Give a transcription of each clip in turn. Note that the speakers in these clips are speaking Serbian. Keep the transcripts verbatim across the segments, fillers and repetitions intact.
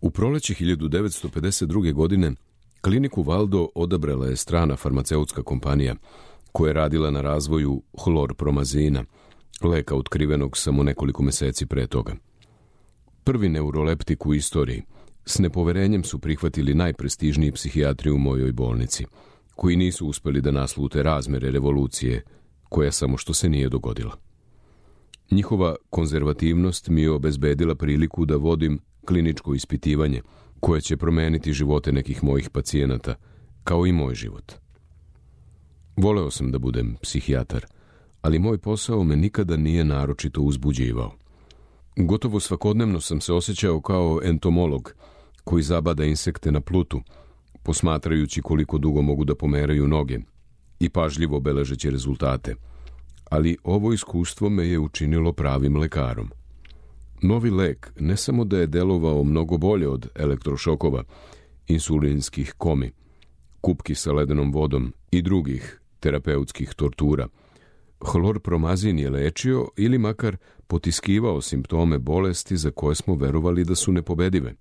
U proleće hiljadu devetsto pedeset druge. godine kliniku Valdo odabrala je strana farmaceutska kompanija koja je radila na razvoju hlorpromazina, leka otkrivenog samo nekoliko meseci pre toga. Prvi neuroleptik u istoriji, s nepoverenjem su prihvatili najprestižniji psihijatri u mojoj bolnici, koji nisu uspeli da naslute razmere revolucije, koja samo što se nije dogodila. Njihova konzervativnost mi je obezbedila priliku da vodim kliničko ispitivanje koje će promeniti živote nekih mojih pacijenata, kao i moj život. Voleo sam da budem psihijatar, ali moj posao me nikada nije naročito uzbuđivao. Gotovo svakodnevno sam se osjećao kao entomolog koji zabada insekte na plutu, posmatrajući koliko dugo mogu da pomeraju noge i pažljivo beležeći rezultate. Ali ovo iskustvo me je učinilo pravim lekarom. Novi lek ne samo da je delovao mnogo bolje od elektrošokova, insulinskih komi, kupki sa ledenom vodom i drugih terapeutskih tortura. Hlorpromazin je lečio ili makar potiskivao simptome bolesti za koje smo verovali da su nepobedive.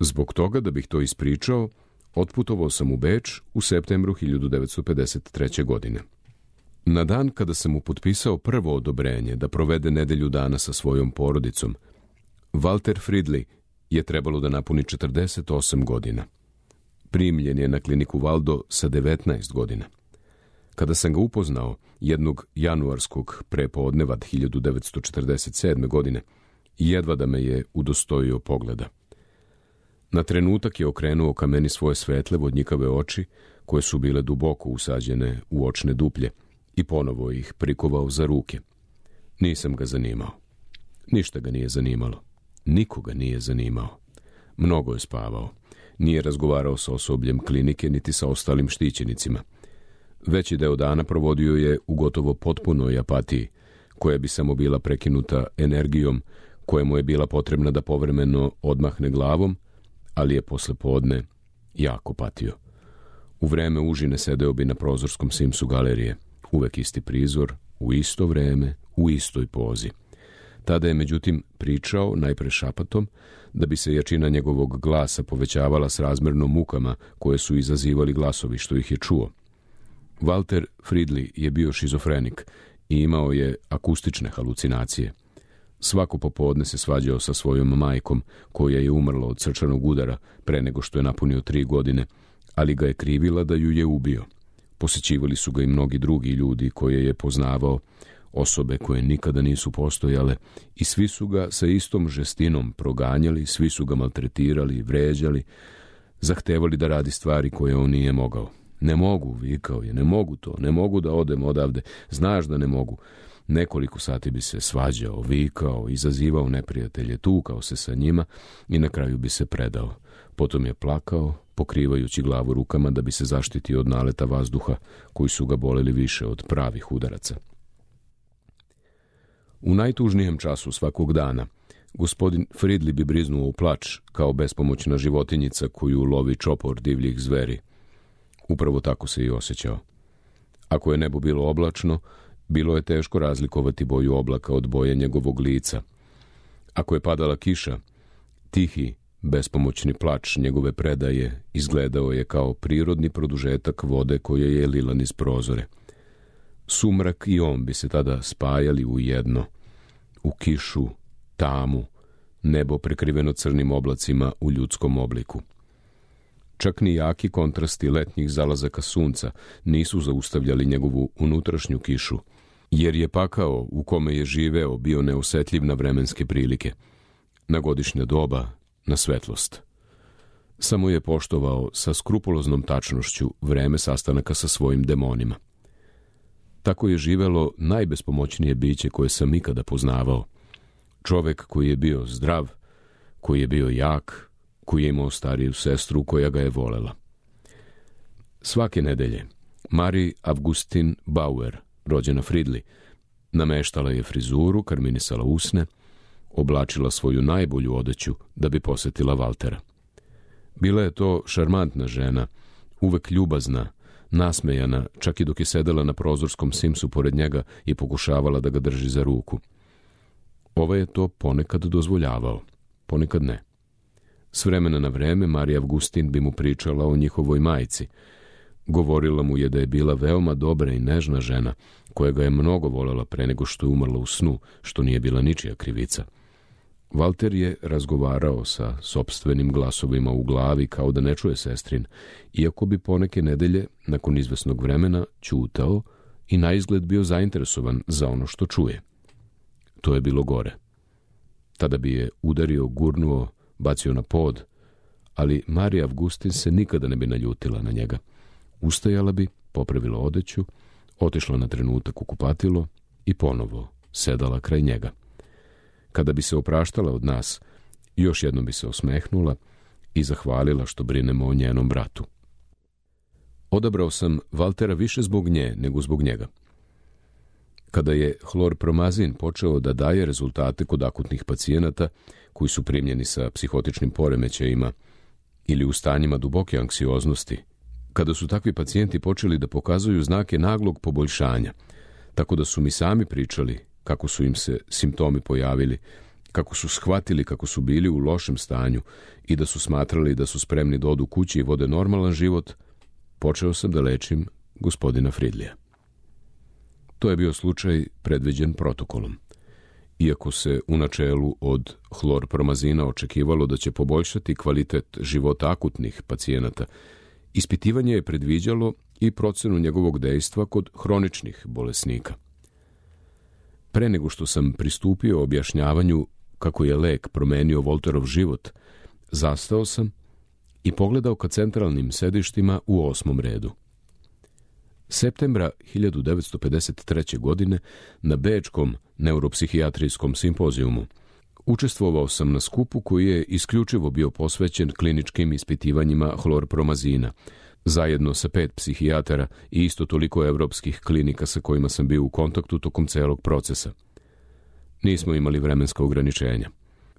Zbog toga, da bih to ispričao, otputovao sam u Beč u septembru hiljadu devetsto pedeset treće. godine. Na dan kada sam mu potpisao prvo odobrenje da provede nedelju dana sa svojom porodicom, Walter Fridley je trebalo da napuni četrdeset osam godina. Primljen je na kliniku Valdo sa devetnaest godina. Kada sam ga upoznao jednog januarskog prepodneva hiljadu devetsto četrdeset sedme. godine, jedva da me je udostojio pogleda. Na trenutak je okrenuo ka meni svoje svetle vodnjikave oči, koje su bile duboko usađene u očne duplje, i ponovo ih prikovao za ruke. Nisam ga zanimao. Ništa ga nije zanimalo. Nikoga nije zanimao. Mnogo je spavao. Nije razgovarao sa osobljem klinike niti sa ostalim štićenicima. Veći deo dana provodio je u gotovo potpunoj apatiji, koja bi samo bila prekinuta energijom koja mu je bila potrebna da povremeno odmahne glavom, ali je posle podne jako patio. U vreme užine sedeo bi na prozorskom simsu galerije, uvek isti prizor, u isto vreme, u istoj pozi. Tada je, međutim, pričao, najpre šapatom, da bi se jačina njegovog glasa povećavala s razmerno mukama koje su izazivali glasovi što ih je čuo. Walter Fridley je bio šizofrenik i imao je akustične halucinacije. Svako popodne se svađao sa svojom majkom, koja je umrla od srčanog udara pre nego što je napunio tri godine, ali ga je krivila da ju je ubio. Posećivali su ga i mnogi drugi ljudi koje je poznavao, osobe koje nikada nisu postojale, i svi su ga sa istom žestinom proganjali, svi su ga maltretirali, vređali, zahtevali da radi stvari koje on nije mogao. Ne mogu, vikao je, ne mogu to, ne mogu da odem odavde, znaš da ne mogu. Nekoliko sati bi se svađao, vikao, izazivao neprijatelje, tukao se sa njima i na kraju bi se predao. Potom je plakao, pokrivajući glavu rukama da bi se zaštitio od naleta vazduha koji su ga boleli više od pravih udaraca. U najtužnijem času svakog dana gospodin Fridley bi briznuo u plač kao bespomoćna životinjica koju lovi čopor divljih zveri. Upravo tako se i osjećao. Ako je nebo bilo oblačno, bilo je teško razlikovati boju oblaka od boje njegovog lica. Ako je padala kiša, tihi, bespomoćni plač njegove predaje izgledao je kao prirodni produžetak vode koje je lila niz prozore. Sumrak i on bi se tada spajali u jedno, u kišu, tamu, nebo prekriveno crnim oblacima u ljudskom obliku. Čak ni jaki kontrasti letnjih zalazaka sunca nisu zaustavljali njegovu unutrašnju kišu, jer je pakao u kome je živeo bio neosetljiv na vremenske prilike, na godišnja doba, na svetlost. Samo je poštovao sa skrupuloznom tačnošću vreme sastanaka sa svojim demonima. Tako je živelo najbespomoćnije biće koje sam ikada poznavao. Čovek koji je bio zdrav, koji je bio jak, koji je imao stariju sestru koja ga je volela. Svake nedelje Marie Augustine Bauer, rođena Fridley, nameštala je frizuru, karminisala usne, oblačila svoju najbolju odeću da bi posetila Valtera. Bila je to šarmantna žena, uvek ljubazna, nasmejana, čak i dok je sedela na prozorskom simsu pored njega i pokušavala da ga drži za ruku. Ovaj je to ponekad dozvoljavao, ponekad ne. S vremena na vreme Marija Avgustin bi mu pričala o njihovoj majci. Govorila mu je da je bila veoma dobra i nežna žena, koja ga je mnogo voljela pre nego što je umrla u snu, što nije bila ničija krivica. Valter je razgovarao sa sopstvenim glasovima u glavi kao da ne čuje sestrin, iako bi poneke nedelje, nakon izvesnog vremena, ćutao i naizgled bio zainteresovan za ono što čuje. To je bilo gore. Tada bi je udario, gurnuo, bacio na pod, ali Marija Avgustin se nikada ne bi naljutila na njega. Ustajala bi, popravila odeću, otišla na trenutak u kupatilo i ponovo sedala kraj njega. Kada bi se opraštala od nas, još jednom bi se osmehnula i zahvalila što brinemo o njenom bratu. Odabrao sam Valtera više zbog nje nego zbog njega. Kada je hlorpromazin počeo da daje rezultate kod akutnih pacijenata koji su primljeni sa psihotičnim poremećajima ili u stanjima duboke anksioznosti, kada su takvi pacijenti počeli da pokazuju znake naglog poboljšanja, tako da su mi sami pričali kako su im se simptomi pojavili, kako su shvatili kako su bili u lošem stanju i da su smatrali da su spremni da odu kući i vode normalan život, počeo sam da lečim gospodina Fridlija. To je bio slučaj predviđen protokolom. Iako se u načelu od hlorpromazina očekivalo da će poboljšati kvalitet života akutnih pacijenata, ispitivanje je predviđalo i procenu njegovog dejstva kod hroničnih bolesnika. Pre nego što sam pristupio objašnjavanju kako je lek promenio Volterov život, zastao sam i pogledao ka centralnim sedištima u osmom redu. Septembra hiljadu devetsto pedeset treće. godine na Bečkom neuropsihijatrijskom simpozijumu učestvovao sam na skupu koji je isključivo bio posvećen kliničkim ispitivanjima hlorpromazina, zajedno sa pet psihijatara i isto toliko evropskih klinika sa kojima sam bio u kontaktu tokom celog procesa. Nismo imali vremenska ograničenja.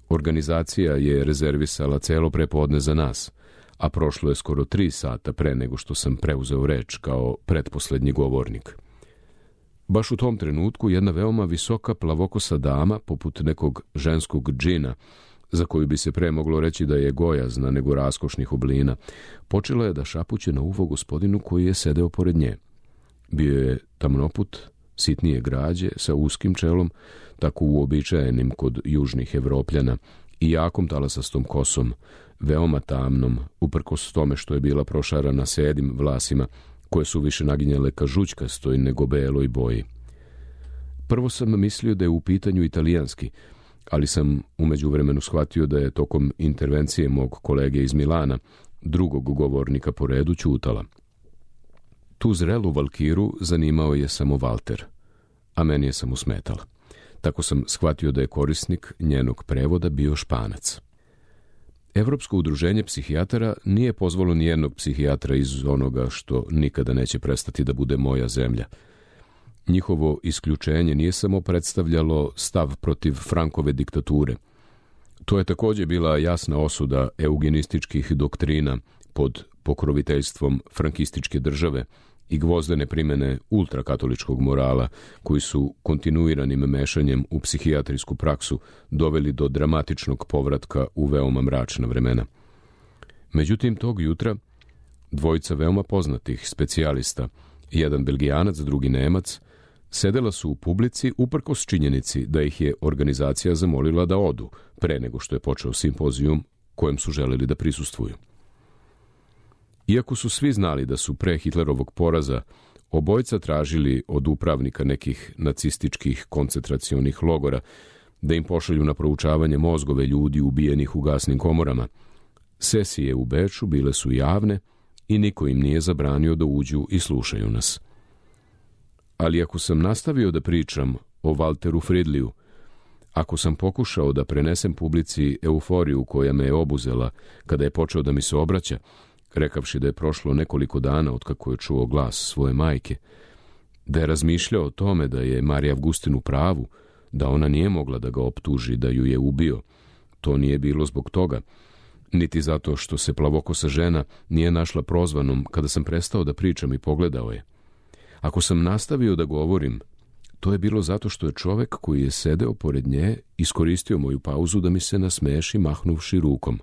Organizacija je rezervisala celo prepodne za nas, a prošlo je skoro tri sata pre nego što sam preuzeo reč kao pretposlednji govornik. Baš u tom trenutku jedna veoma visoka plavokosa dama, poput nekog ženskog džina, za koju bi se pre moglo reći da je gojazna nego raskošnih oblina, počela je da šapuće na uvo gospodinu koji je sedeo pored nje. Bio je tamnoput, sitnije građe, sa uskim čelom, tako uobičajenim kod južnih Evropljana, i jakom talasastom kosom, veoma tamnom, uprkos tome što je bila prošarana sedim vlasima, koje su više naginjale ka žućkastoj nego beloj boji. Prvo sam mislio da je u pitanju italijanski, ali sam u međuvremenu shvatio da je tokom intervencije mog kolege iz Milana, drugog govornika po redu, ćutala. Tu zrelu valkiru zanimao je samo Valter, a meni je samo smetala. Tako sam shvatio da je korisnik njenog prevoda bio Španac. Evropsko udruženje psihijatara nije pozvalo nijednog psihijatra iz onoga što nikada neće prestati da bude moja zemlja. Njihovo isključenje nije samo predstavljalo stav protiv Frankove diktature. To je također bila jasna osuda eugenističkih doktrina pod pokroviteljstvom frankističke države i gvozdene primene ultrakatoličkog morala, koji su kontinuiranim mešanjem u psihijatrijsku praksu doveli do dramatičnog povratka u veoma mračna vremena. Međutim, tog jutra dvojica veoma poznatih specijalista, jedan Belgijanac, drugi Nemac, sedela su u publici uprkos činjenici da ih je organizacija zamolila da odu pre nego što je počeo simpozijum kojem su želeli da prisustvuju. Iako su svi znali da su pre Hitlerovog poraza obojica tražili od upravnika nekih nacističkih koncentracionih logora da im pošalju na proučavanje mozgove ljudi ubijenih u gasnim komorama, sesije u Beču bile su javne i niko im nije zabranio da uđu i slušaju nas. Ali ako sam nastavio da pričam o Valteru Fridliju, ako sam pokušao da prenesem publici euforiju koja me je obuzela kada je počeo da mi se obraća, rekavši da je prošlo nekoliko dana otkako je čuo glas svoje majke, da je razmišljao o tome da je Marija Avgustin u pravu, da ona nije mogla da ga optuži da ju je ubio, to nije bilo zbog toga, niti zato što se plavokosa žena nije našla prozvanom kada sam prestao da pričam i pogledao je. Ako sam nastavio da govorim, to je bilo zato što je čovek koji je sedeo pored nje iskoristio moju pauzu da mi se nasmeši mahnuvši rukom,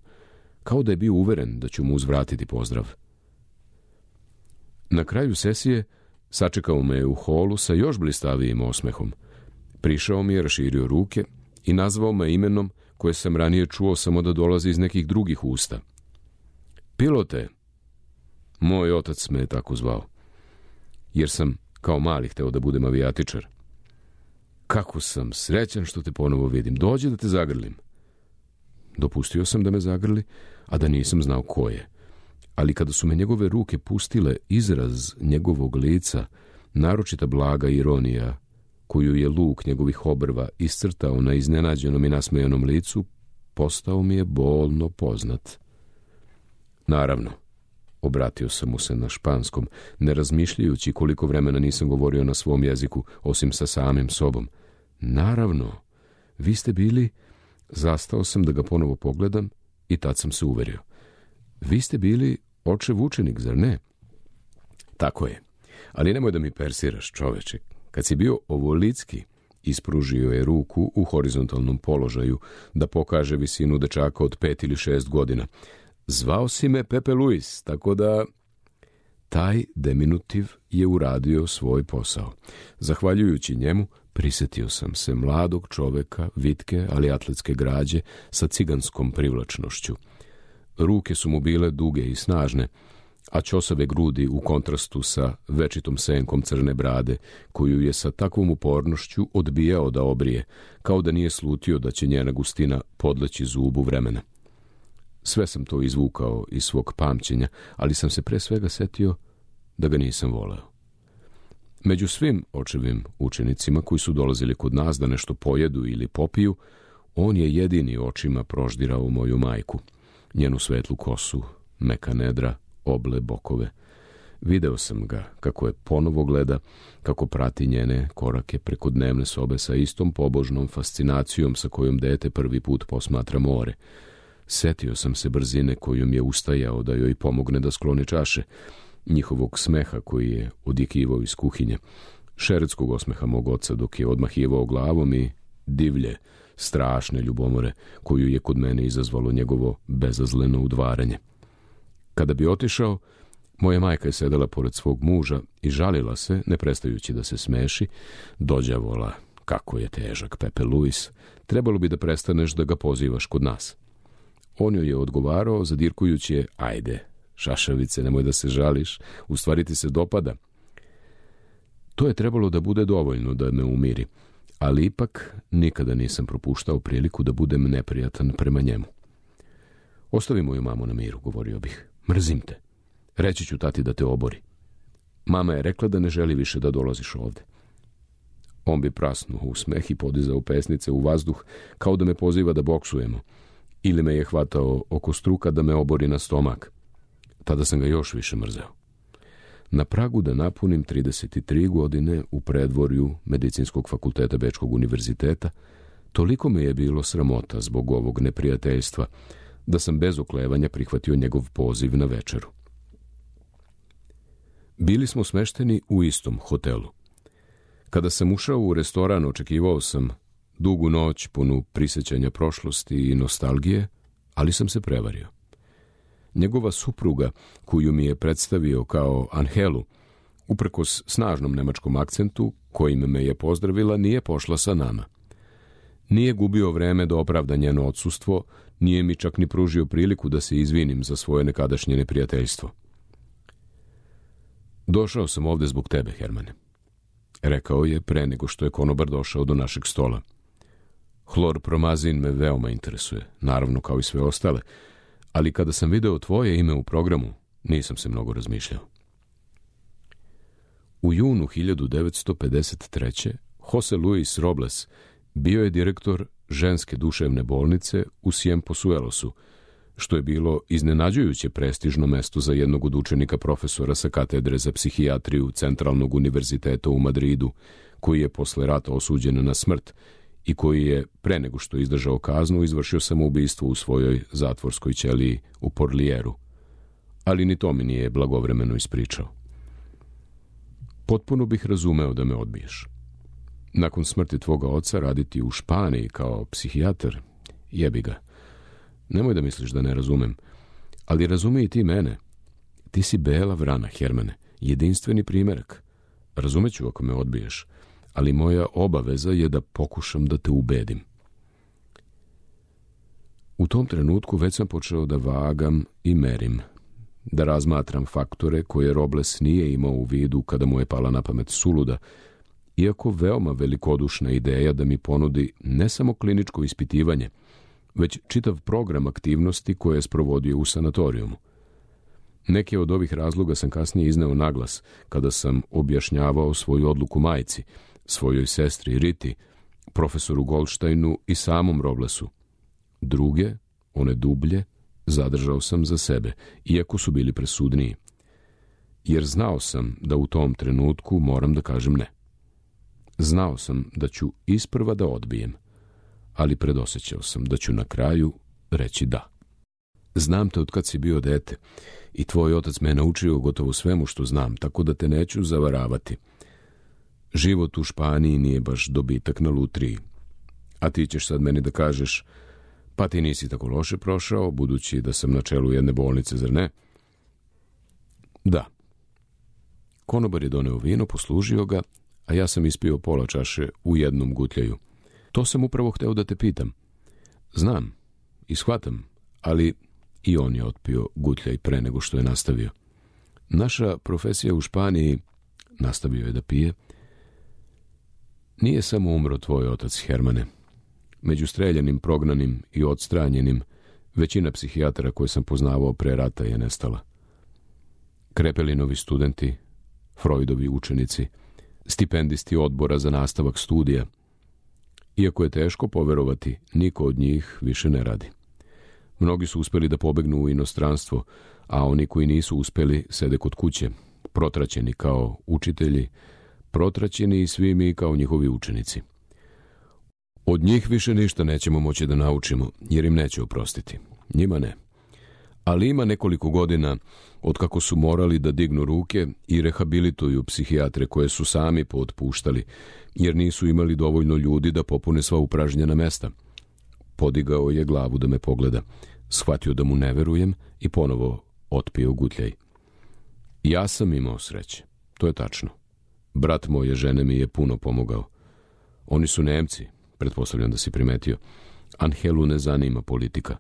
kao da je bio uveren da ću mu uzvratiti pozdrav. Na kraju sesije sačekao me u holu sa još blistavijim osmehom. Prišao mi je, raširio ruke i nazvao me imenom koje sam ranije čuo samo da dolazi iz nekih drugih usta. Pilote! Moj otac me je tako zvao, jer sam kao mali hteo da budem avijatičar. Kako sam srećan što te ponovo vidim. Dođi da te zagrlim. Dopustio sam da me zagrli, a da nisam znao ko je. Ali kada su me njegove ruke pustile, izraz njegovog lica, naročita blaga ironija, koju je luk njegovih obrva iscrtao na iznenađenom i nasmejanom licu, postao mi je bolno poznat. Naravno, obratio sam mu se na španskom, ne razmišljajući koliko vremena nisam govorio na svom jeziku, osim sa samim sobom. Naravno, vi ste bili... Zastao sam da ga ponovo pogledam i tad sam se uverio. Vi ste bili očev učenik, zar ne? Tako je, ali nemoj da mi persiraš, čoveče. Kad si bio ovolicki, ispružio je ruku u horizontalnom položaju da pokaže visinu dečaka od pet ili šest godina. Zvao si me Pepe Luis, tako da... Taj deminutiv je uradio svoj posao. Zahvaljujući njemu, prisetio sam se mladog čoveka, vitke, ali atletske građe, sa ciganskom privlačnošću. Ruke su mu bile duge i snažne, a ćosave grudi u kontrastu sa večitom senkom crne brade, koju je sa takvom upornošću odbijao da obrije, kao da nije slutio da će njena gustina podleći zubu vremena. Sve sam to izvukao iz svog pamćenja, ali sam se pre svega setio da ga nisam voleo. Među svim očevim učenicima koji su dolazili kod nas da nešto pojedu ili popiju, on je jedini očima proždirao moju majku, njenu svetlu kosu, meka nedra, oble bokove. Video sam ga kako je ponovo gleda, kako prati njene korake preko dnevne sobe sa istom pobožnom fascinacijom sa kojom dete prvi put posmatra more. Setio sam se brzine kojom je ustajao da joj pomogne da skloni čaše, njihovog smeha koji je odjekivao iz kuhinje, šeretskog osmeha mog oca dok je odmahivao glavom i divlje, strašne ljubomore koju je kod mene izazvalo njegovo bezazleno udvaranje. Kada bi otišao, moja majka je sedela pored svog muža i žalila se, ne prestajući da se smeši, dođavola, kako je težak Pepe Luis, trebalo bi da prestaneš da ga pozivaš kod nas. On joj je odgovarao, zadirkujući je, ajde, šašavice, nemoj da se žališ, u stvari ti se dopada. To je trebalo da bude dovoljno da me umiri, ali ipak nikada nisam propuštao priliku da budem neprijatan prema njemu. Ostavi moju mamu na miru, govorio bih. Mrzim te. Reći ću tati da te obori. Mama je rekla da ne želi više da dolaziš ovde. On bi prasnuo u smeh i podizao pesnice u vazduh kao da me poziva da boksujemo. Ili me je hvatao oko struka da me obori na stomak. Tada sam ga još više mrzeo. Na pragu da napunim trideset tri godine u predvorju Medicinskog fakulteta Bečkog univerziteta, toliko me je bilo sramota zbog ovog neprijateljstva, da sam bez oklevanja prihvatio njegov poziv na večeru. Bili smo smešteni u istom hotelu. Kada sam ušao u restoran, očekivao sam dugu noć punu prisećanja prošlosti i nostalgije, ali sam se prevario. Njegova supruga, koju mi je predstavio kao Angelu, uprkos snažnom nemačkom akcentu, kojim me je pozdravila, nije pošla sa nama. Nije gubio vreme da opravda njeno odsustvo, nije mi čak ni pružio priliku da se izvinim za svoje nekadašnje neprijateljstvo. Došao sam ovde zbog tebe, Hermane, rekao je pre nego što je konobar došao do našeg stola. Hlorpromazin me veoma interesuje, naravno kao i sve ostale, ali kada sam video tvoje ime u programu, nisam se mnogo razmišljao. U junu hiljadu devetsto pedeset treće. Jose Luis Robles bio je direktor ženske duševne bolnice u Ciempozuelosu, što je bilo iznenađujuće prestižno mesto za jednog od učenika profesora sa katedre za psihijatriju Centralnog univerziteta u Madridu, koji je posle rata osuđen na smrt i koji je, pre nego što izdržao kaznu, izvršio samoubistvo u svojoj zatvorskoj ćeliji u Porlieru. Ali ni to mi nije blagovremeno ispričao. Potpuno bih razumeo da me odbiješ. Nakon smrti tvoga oca raditi u Španiji kao psihijatar, jebi ga. Nemoj da misliš da ne razumem. Ali razumij i ti mene. Ti si bela vrana, Hermane, jedinstveni primjerak. Razumeću ako me odbiješ, ali moja obaveza je da pokušam da te ubedim. U tom trenutku već sam počeo da vagam i merim, da razmatram faktore koje Robles nije imao u vidu kada mu je pala na pamet suluda, iako veoma velikodušna ideja da mi ponudi ne samo kliničko ispitivanje, već čitav program aktivnosti koje je sprovodio u sanatorijumu. Neke od ovih razloga sam kasnije izneo naglas kada sam objašnjavao svoju odluku majci, svojoj sestri Riti, profesoru Goldsteinu i samom Roblesu. Druge, one dublje, zadržao sam za sebe, iako su bili presudniji. Jer znao sam da u tom trenutku moram da kažem ne. Znao sam da ću isprva da odbijem, ali predosjećao sam da ću na kraju reći da. Znam te od kad si bio dete i tvoj otac me je naučio gotovo svemu što znam, tako da te neću zavaravati. Život u Španiji nije baš dobitak na lutriji. A ti ćeš sad meni da kažeš, pa ti nisi tako loše prošao, budući da sam na čelu jedne bolnice, zar ne? Da. Konobar je doneo vino, poslužio ga, a ja sam ispio pola čaše u jednom gutljaju. To sam upravo hteo da te pitam. Znam i shvatam, ali i on je otpio gutljaj pre nego što je nastavio. Naša profesija u Španiji, nastavio je da pije, nije samo umro tvoj otac, Hermane. Među streljanim, prognanim i odstranjenim, većina psihijatara koje sam poznavao pre rata je nestala. Krepelinovi studenti, Freudovi učenici, stipendisti odbora za nastavak studija. Iako je teško poverovati, niko od njih više ne radi. Mnogi su uspeli da pobegnu u inostranstvo, a oni koji nisu uspeli sede kod kuće, protraćeni kao učitelji, protraćeni i svi mi kao njihovi učenici. Od njih više ništa nećemo moći da naučimo, jer im neće oprostiti. Njima ne. Ali ima nekoliko godina od kako su morali da dignu ruke i rehabilituju psihijatre koje su sami pootpuštali, jer nisu imali dovoljno ljudi da popune sva upražnjena mesta. Podigao je glavu da me pogleda, shvatio da mu ne verujem i ponovo otpio gutljaj. Ja sam imao sreće, to je tačno. Brat moje žene mi je puno pomogao. Oni su Nemci, pretpostavljam da si primetio. Angelu ne zanima politika.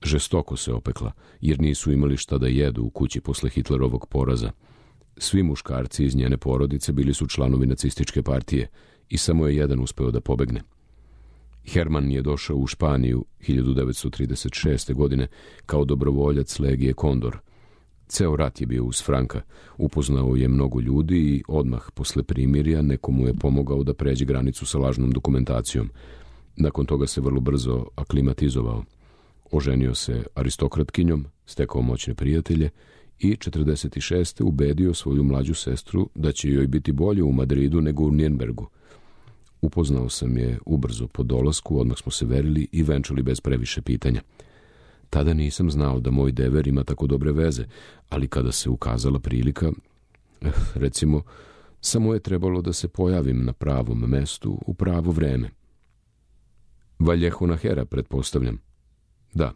Žestoko se opekla, jer nisu imali šta da jedu u kući posle Hitlerovog poraza. Svi muškarci iz njene porodice bili su članovi nacističke partije i samo je jedan uspeo da pobegne. Herman je došao u Španiju hiljadu devetsto trideset šeste. godine kao dobrovoljac legije Kondor. Ceo rat je bio uz Franka, upoznao je mnogo ljudi i odmah posle primirja nekomu je pomogao da pređe granicu sa lažnom dokumentacijom. Nakon toga se vrlo brzo aklimatizovao. Oženio se aristokratkinjom, stekao moćne prijatelje i četrdeset šeste. ubedio svoju mlađu sestru da će joj biti bolje u Madridu nego u Nirnbergu. Upoznao sam je ubrzo po dolasku, odmah smo se verili i venčali bez previše pitanja. Tada nisam znao da moj dever ima tako dobre veze, ali kada se ukazala prilika, recimo, samo je trebalo da se pojavim na pravom mestu u pravo vreme. Vallejo Nahera, pretpostavljam. Da,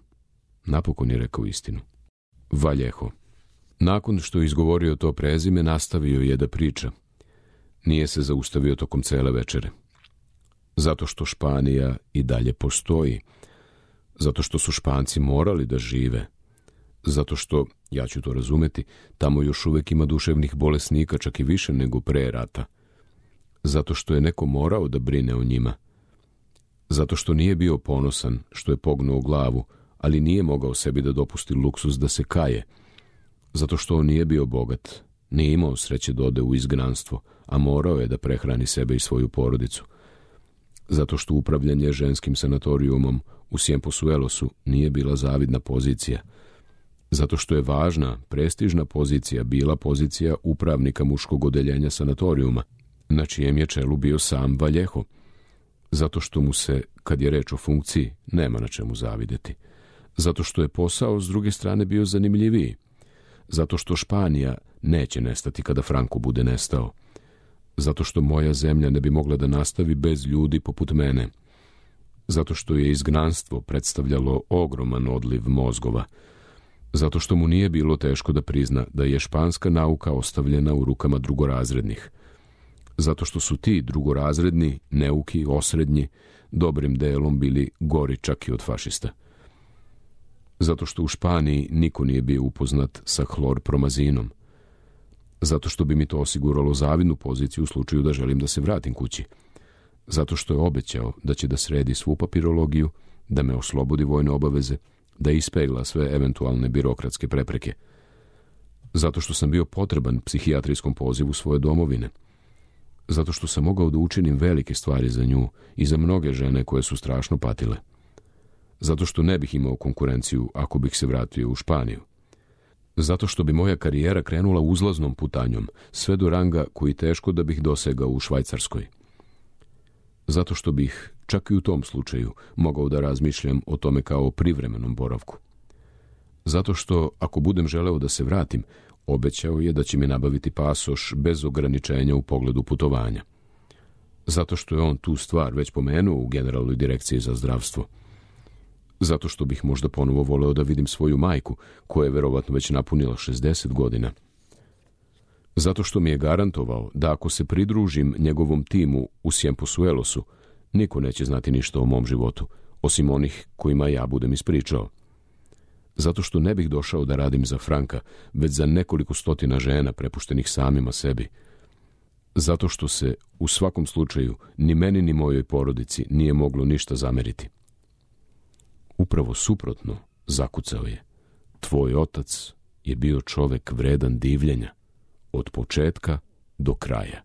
napokon je rekao istinu. Vallejo. Nakon što je izgovorio to prezime, nastavio je da priča. Nije se zaustavio tokom cele večere. Zato što Španija i dalje postoji. Zato što su Španci morali da žive. Zato što, ja ću to razumeti, tamo još uvek ima duševnih bolesnika, čak i više nego pre rata. Zato što je neko morao da brine o njima. Zato što nije bio ponosan što je pognuo glavu, ali nije mogao sebi da dopusti luksuz da se kaje. Zato što on nije bio bogat, nije imao sreće da ode u izgnanstvo, a morao je da prehrani sebe i svoju porodicu. Zato što upravljanje ženskim sanatorijumom u Cienpozuelosu nije bila zavidna pozicija. Zato što je važna, prestižna pozicija bila pozicija upravnika muškog odeljenja sanatorijuma, na čijem je čelu bio sam Vallejo. Zato što mu se, kad je reč o funkciji, nema na čemu zavideti. Zato što je posao s druge strane bio zanimljiviji. Zato što Španija neće nestati kada Franco bude nestao. Zato što moja zemlja ne bi mogla da nastavi bez ljudi poput mene. zato što je izgnanstvo predstavljalo ogroman odliv mozgova, zato što mu nije bilo teško da prizna da je španska nauka ostavljena u rukama drugorazrednih, zato što su ti drugorazredni, neuki, osrednji, dobrim delom bili gori čak i od fašista. Zato što u Španiji niko nije bio upoznat sa hlorpromazinom, zato što bi mi to osiguralo zavidnu poziciju u slučaju da želim da se vratim kući, zato što je obećao da će da sredi svu papirologiju, da me oslobodi vojne obaveze, da ispegla sve eventualne birokratske prepreke, zato što sam bio potreban psihijatrijskom pozivu svoje domovine, zato što sam mogao da učinim velike stvari za nju i za mnoge žene koje su strašno patile, zato što ne bih imao konkurenciju ako bih se vratio u Španiju, zato što bi moja karijera krenula uzlaznom putanjom, sve do ranga koji teško da bih dosegao u Švajcarskoj, zato što bih, čak i u tom slučaju, mogao da razmišljam o tome kao o privremenom boravku, zato što, ako budem želeo da se vratim, obećao je da će mi nabaviti pasoš bez ograničenja u pogledu putovanja, zato što je on tu stvar već pomenuo u Generalnoj direkciji za zdravstvo, zato što bih možda ponovo voleo da vidim svoju majku, koja je verovatno već napunila šezdeset godina, zato što mi je garantovao da ako se pridružim njegovom timu u Ciempozuelosu, niko neće znati ništa o mom životu, osim onih kojima ja budem ispričao. Zato što ne bih došao da radim za Franka, već za nekoliko stotina žena prepuštenih samima sebi. Zato što se, u svakom slučaju, ni meni ni mojoj porodici nije moglo ništa zameriti. Upravo suprotno, zakucao je. Tvoj otac je bio čovek vredan divljenja, od početka do kraja.